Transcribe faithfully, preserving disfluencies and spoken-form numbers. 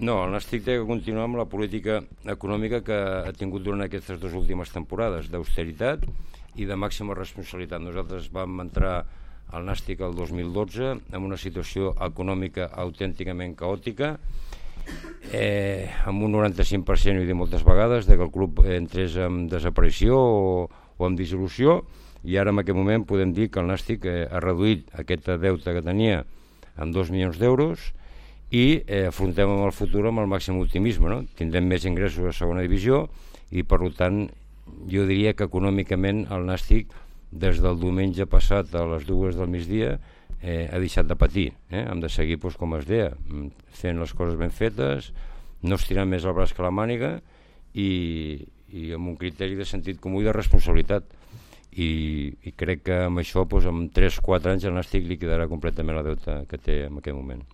No, el Nàstic té que continuar amb la política econòmica que ha tingut durant aquestes dues últimes temporades, d'austeritat i de màxima responsabilitat. Nosaltres vam entrar al Nàstic el dos mil dotze amb una situació econòmica autènticament caòtica, eh, amb un noranta-cinc per cent, ho he dit moltes vegades, de que el club entrés en desaparició o, o en dissolució, i ara en aquest moment podem dir que el Nàstic eh, ha reduït aquest deute que tenia en dos milions d'euros i eh, afrontem amb el futur amb el màxim optimisme, no? Tindrem més ingressos a segona divisió i per tant jo diria que econòmicament el Nàstic des del diumenge passat a les dues del migdia eh, ha deixat de patir, eh? Hem de seguir doncs, com es deia, fent les coses ben fetes, no estirant més el braç que la màniga i, i amb un criteri de sentit comú i de responsabilitat. I, i crec que amb això doncs, en tres o quatre anys el Nàstic liquidarà completament la deuta que té en aquest moment.